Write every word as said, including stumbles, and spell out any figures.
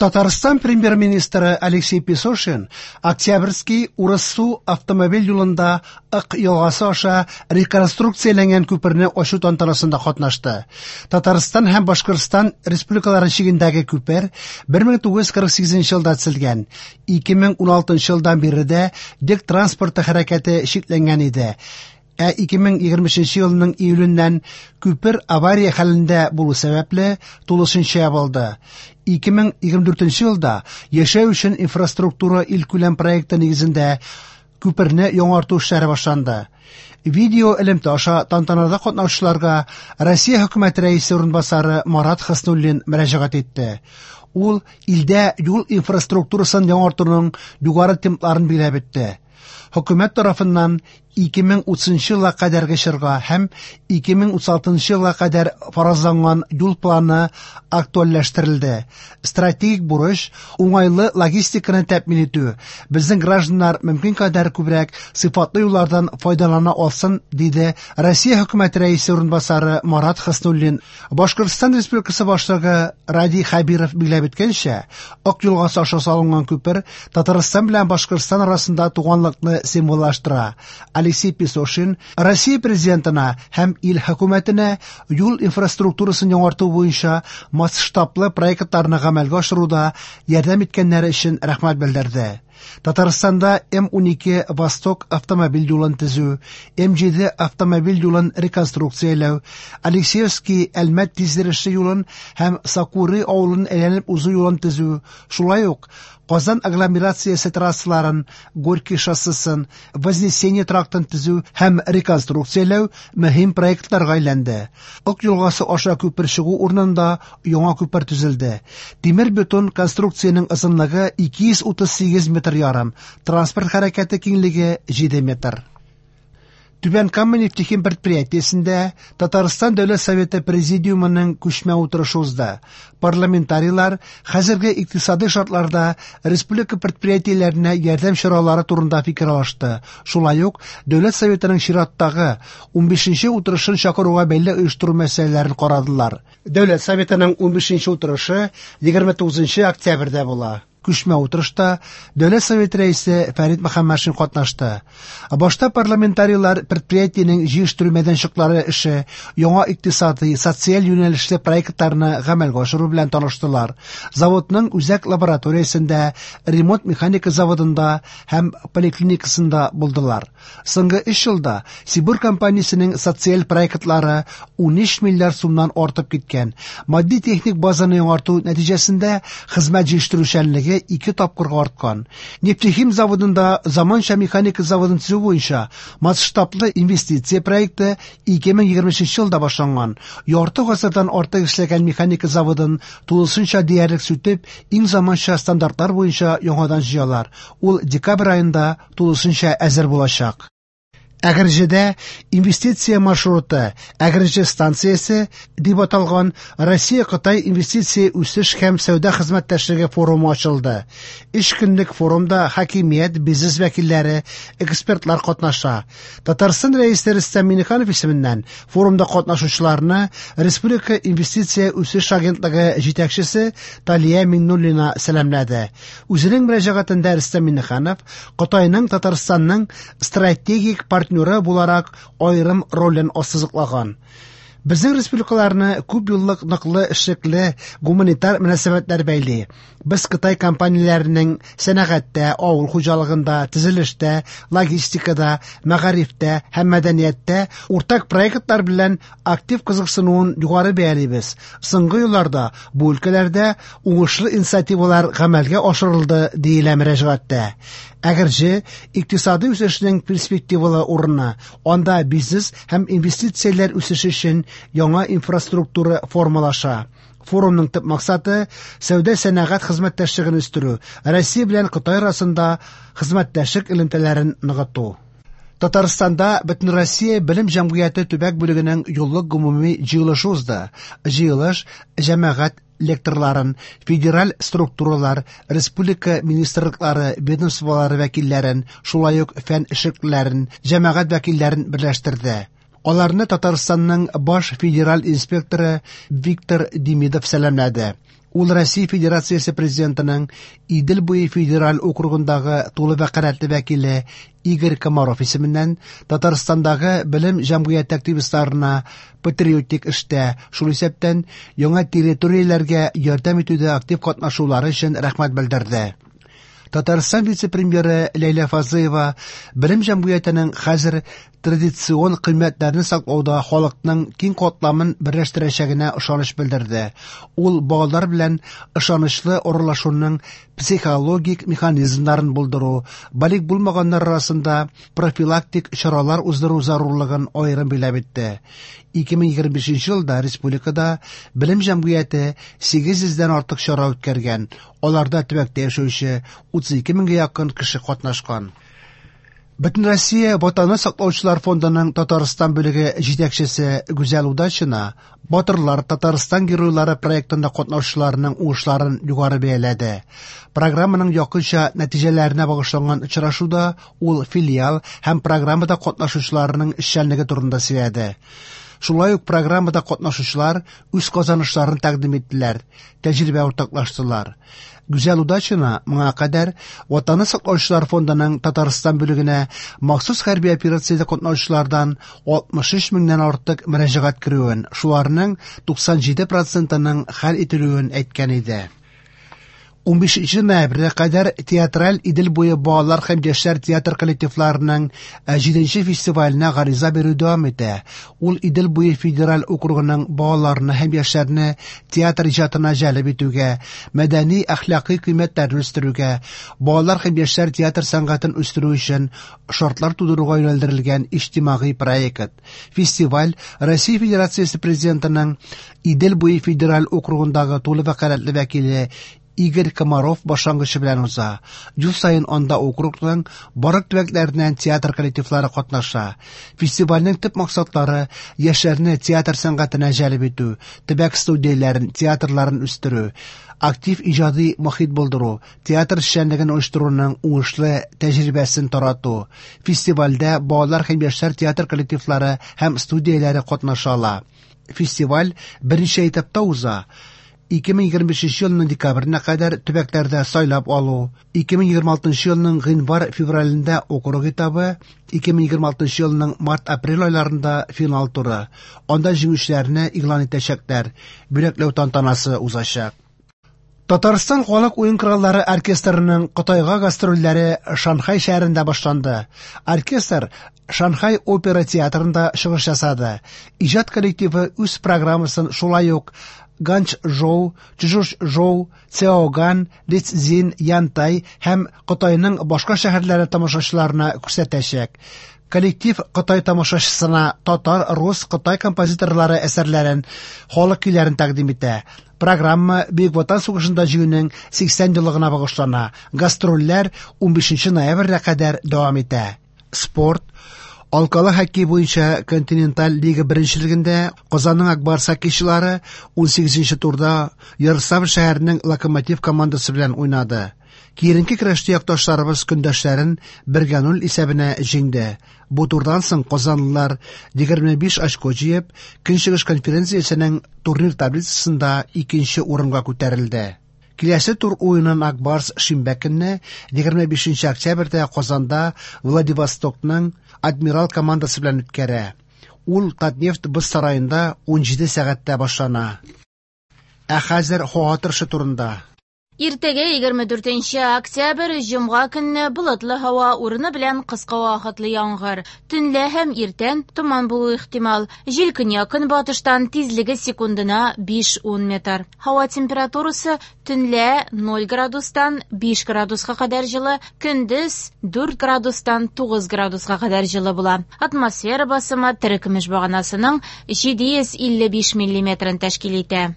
Татарстан премьер-министры Алексей Песошин Октябрьский Урыссу автомобиль юлында Ык елгасы аша реконструкцияләнгән күперне ачу тантанасында катнашты. Татарстан һәм Башкортстан республикалары чигендәге күпер бер мең тугыз йөз кырык сигезенче елда төзелгән. ике мең уналтынчы елдан бире дә йөк транспорты хәрәкәте чикләнгән иде. Ә ике мең егерме өченче елның июленнән күпер авария хәлендә булу сәбәпле тулысынча ябылды. ике мең егерме дүртенче елда яшәү өчен инфраструктура илкүләм проекты нигезендә күперне яңарту эшләре башланды. Видео элемтә аша тантанада катнашучыларга Россия хөкүмәте рәисе урынбасары Марат Хөснуллин мөрәҗәгать итте. Ул илдә юл инфраструктурасын яңартуның югары темпларын билгеләп үтте. Хөкүмәт тарафыннан ике мең утызынчы елга кадәрге чорга һәм ике мең утыз алтынчы елга кадәр фаразланган юл планы актуальләштерелде. Стратегик бурыч уңайлы логистиканы тәэмин итү. Безнең гражданнар мөмкин кадәр күбрәк сыйфатлы юллардан файдалана алсын, диде Россия хөкүмәте рәисе урынбасары Марат Хөснуллин. Башкортстан Республикасы башлыгы Радий Хәбиров билгеләп үткәнчә, Ык елгасы аша салынган күпер Татарстан белән Башкортстан арасында туганлыкны символлаштыра. Алексей Песошин Россия президентына һәм ил хөкүмәтенә юл инфраструктурасын яңарту буенча масштаблы проектларны гамәлгә ашыруда ярдәм иткәннәре өчен рәхмәт белдерде. Татарстанда М унике Восток автомобиль юлын төзү, М җиде автомобиль юлын реконструкцияләү, Алексеевский Әлмәт тизйөрешле юлын һәм Сокуры авылын әйләнеп узу юлын төзү, шулай ук Казан агломерациясе трассаларын, Горький шоссесын, Вознесение трактын төзү һәм реконструкцияләү мөһим проектларга әйләнде. Ык елгасы аша күпер чыгу урынында яңа күпер төзелде. Тимер бетон конструкциянең озынлыгы ике йөз утыз сигез метр ярым, транспорт хәрәкәте киңлеге җиде метр. Түбән Кама нефтехим предприятиесендә Татарстан Дәүләт Советы Президиумының күчмә утырышы узды. Парламентарийлар хәзерге икътисади шартларда республика предприятиеләренә ярдәм чаралары турында фикер алышты. Шулай ук Дәүләт Советының чираттагы унбишенче утырышын чакыруга бәйле оештыру мәсьәләләрен карадылар. Дәүләт Советының унбишенче утырышы егерме тугызынчы октябрьдә була. Күчмә утырышта Дәүләт Советы рәисе Фәрит Мөхәммәтшин катнашты. Башта парламентарийлар предприятиенең җыештыру мәйданчыклары эше, яңа икътисади, социаль юнәлешле проектларны гамәлгә ашыру белән таныштылар. Заводның үзәк лабораториясендә, ремонт механика заводында һәм поликлиникасында булдылар. Соңгы өч елда Сибур компаниясенең социаль проектлары унөч миллиард сумнан артып киткән. Матди-техник базаны яңарту нәтиҗәсендә хезмәт җитештерүчәнлеге ике тапкырга арткан. Нефтехим заводында заманча механика заводын төзү буенча масштаблы инвестиция проекты ике мең егерме өченче елда башланган. Ярты гасырдан артык эшләгән механика заводын тулысынча диярлек сүтеп, иң заманча стандартлар буенча яңадан җыялар. Ул декабрь аенда тулысынча әзер булачак. Әгерҗедә инвестиция маршруты Әгерҗе станциясе дип аталган Россия-Кытай инвестиция үсеш һәм сәүдә хезмәттәшлеге форумы ачылды. Өч көнлек форумда хакимият, бизнес вәкилләре, экспертлар катнаша. Татарстан рәисе Рөстәм Миңнеханов исеменнән форумда катнашучыларны Республика инвестиция үсеш агентлыгы җитәкчесе Талия Миңнуллина сәламләде. Үзенең мөрәҗәгатендә Рөстәм Миңнеханов Кытайның Татарстанның стратегик партнеры буларак аерым ролен ассызыклаган. Безнең республикаларны күп еллык ныклы эшлекле гуманитар мөнәсәбәтләр бәйли. Без Кытай компанияләренең сәнәгатьтә, авыл хуҗалыгында, төзелештә, логистикада, мәгарифтә һәм мәдәнияттә уртак проектлар белән актив кызыксынуын югары бәялибез. Соңгы елларда бу өлкәләрдә уңышлы инициативалар гамәлгә ашырылды, диелә мөрәҗәгатьтә. Әгерҗе икътисади үсешнең перспективалы урыны, анда бизнес һәм инвестицияләр үсеше өчен яңа инфраструктура формалаша. Форумның төп максаты сәүдә-сәнәгать хезмәттәшлеген үстерү, Россия белән Кытай арасында хезмәттәшлек элемтәләрен ныгыту. Татарстанда Бөтенроссия белем җәмгыяте төбәк бүлегенең юллык гомуми җыелышы узды. Җыелыш җәмәгать лекторларын, федераль структуралар, республика министрлыклары, ведомстволары вәкилләрен, шулай ук фән эшлеклеләрен, җәмәгать вәкилләрен берләштерде. Аларны Татарстанның баш федераль инспекторы Виктор Демидов сәламләде. Ул Россия Федерациясе Президентының Идел буе федераль округындагы тулы вәкаләтле вәкиле Игорь Комаров исеменнән Татарстандагы белем җәмгыяте активистларына патриотик эштә, шул исәптән яңа территорияләргә ярдәм итүдә актив катнашулары өчен рәхмәт белдерде. Татарстан вице-премьеры Ләйлә Фазлыева белем җәмгыятенең хәзер традицион кыйммәтләрне саклауда халыкның киң катламын берләштерәчәгенә ышаныч белдерде. Ул балалар белән ышанычлы аралашуның психологик механизмнарын булдыру, балигъ булмаганнар арасында профилактик чаралар уздыру зарурлыгын аерым билгеләп үтте. ике мең егерме бишенче елда республикада белем җәмгыяте сигез йөздән артык чара үткәргән. Аларда төбәктә яшәүче утыз ике меңгә якын кеше катнашкан. Бөтенроссия Ватанны саклаучылар фондының Татарстан бүлеге җитәкчесе Гүзәл Удачина Батырлар Татарстан геройлары проектында катнашучыларның уңышларын югары бәяләде. Программаның якынча нәтиҗәләренә багышланган очрашуда ул филиал һәм программада катнашучыларның эшчәнлеге турында сөйләде. Шулай ук программада катнашучылар үз казанышларын тәкъдим иттеләр, тәҗрибә уртаклаштылар. Гүзәл Удачина моңа кадәр Ватанны саклаучылар фондының Татарстан бүлегенә махсус хәрби операциядә катнашучылардан алтмыш өч меңнән артык мөрәҗәгать керүен, шуларның туксан җиде процентының хәл ителүен әйткән иде. Унбишенче ноябрьгә кадәр театраль Идел буе балалар һәм яшьләр театр коллективларының җиденче фестиваленә гариза бирү дәвам итә. Ул Идел буе федераль округының балаларны һәм яшьләрне театр иҗатына җәлеп итүгә, мәдәни әхлакый кыйммәтләрне үстерүгә, балалар һәм яшьләр театр сәнгатен үстерү өчен шартлар тудыруга юнәлдерелгән иҗтимагый проект. Фестиваль Россия Федерациясе Президентының Идел буе федераль округындагы тулы вәкаләтле вәкиле Игорь Комаров башлангычы белән уза. Ел саен анда округның барлык төбәкләреннән театр коллективлары катнаша. Фестивальнең төп максатлары яшьләрне театр сәнгатенә җәлеп итү, төбәк студияләрен, театрларын үстерү, актив иҗади мохит булдыру, театр эшчәнлеген оештыруның уңышлы тәҗрибәсен тарату. Фестивальдә балалар һәм яшьләр театр коллективлары һәм студияләре катнаша ала. Фестиваль берничә этапта уза. ике мең егерме бишенче елның декабренә кадәр төбәкләрдә сайлап алу, ике мең егерме алтынчы елның гыйнвар-февралендә округ этабы, ике мең егерме алтынчы елның март-апрель айларында финал туры. Анда җиңүчеләрне игълан итәчәкләр, бүләкләү тантанасы узачак. Татарстан халык уен кораллары оркестрының Кытайга гастрольләре Шанхай шәһәрендә башланды. Оркестр Шанхай опера театрында чыгыш ясады. Иҗат коллективы үз программасын шулай ук Ганчжоу, Чжучжоу, Цяоган, Лицзин, Янтай һәм Кытайның башка шәһәрләре тамашачыларына күрсәтәчәк. Коллектив Кытай тамашачысына татар, рус, Кытай композиторлары әсәрләрен, халык көйләрен тәкъдим итә. Программа Бөек Ватан сугышында җиңүнең сиксән еллыгына багышлана. Гастрольләр унбишенче ноябрьгә кадәр дәвам итә. Спорт. Алкалы хоккей буенча континенталь лига беренчелегендә Казанның Ак Барс хоккейчылары унсигезенче турда Ярославль шәһәренең Локомотив командасы белән уйнады. Киеренке көрәштә якташларыбыз көндәшләрен бергә ноль исәбенә җиңде. Бу турдан соң казанлылар егерме биш очко җыеп, Көнчыгыш конференциясенең турнир таблицасында икенче урынга күтәрелде. Киләсе тур уенын Ак Барс шимбә көнне егерме бишенче октябрьдә Казанда Владивостокның Адмирал командасы белән үткәрә. Ул Татнефть боз сараенда унҗиде сәгатьтә башлана. Ә хәзер һава торышы турында. Иртәгә егерме дүртенче октябрь җомга көнне болытлы һава урыны белән кыска вакытлы яңгыр. Төнлә һәм иртән томан булуы ихтимал. Җил көньяк-көнбатыштан тизлеге секундына биш-ун метр. Һава температурасы төнлә ноль градустан биш градуска кадәр җылы, көндез дүрт градустан тугыз градуска кадәр җылы була. Атмосфера басымы терекөмеш баганасының җиде йөз илле биш миллиметрын тәшкил итә.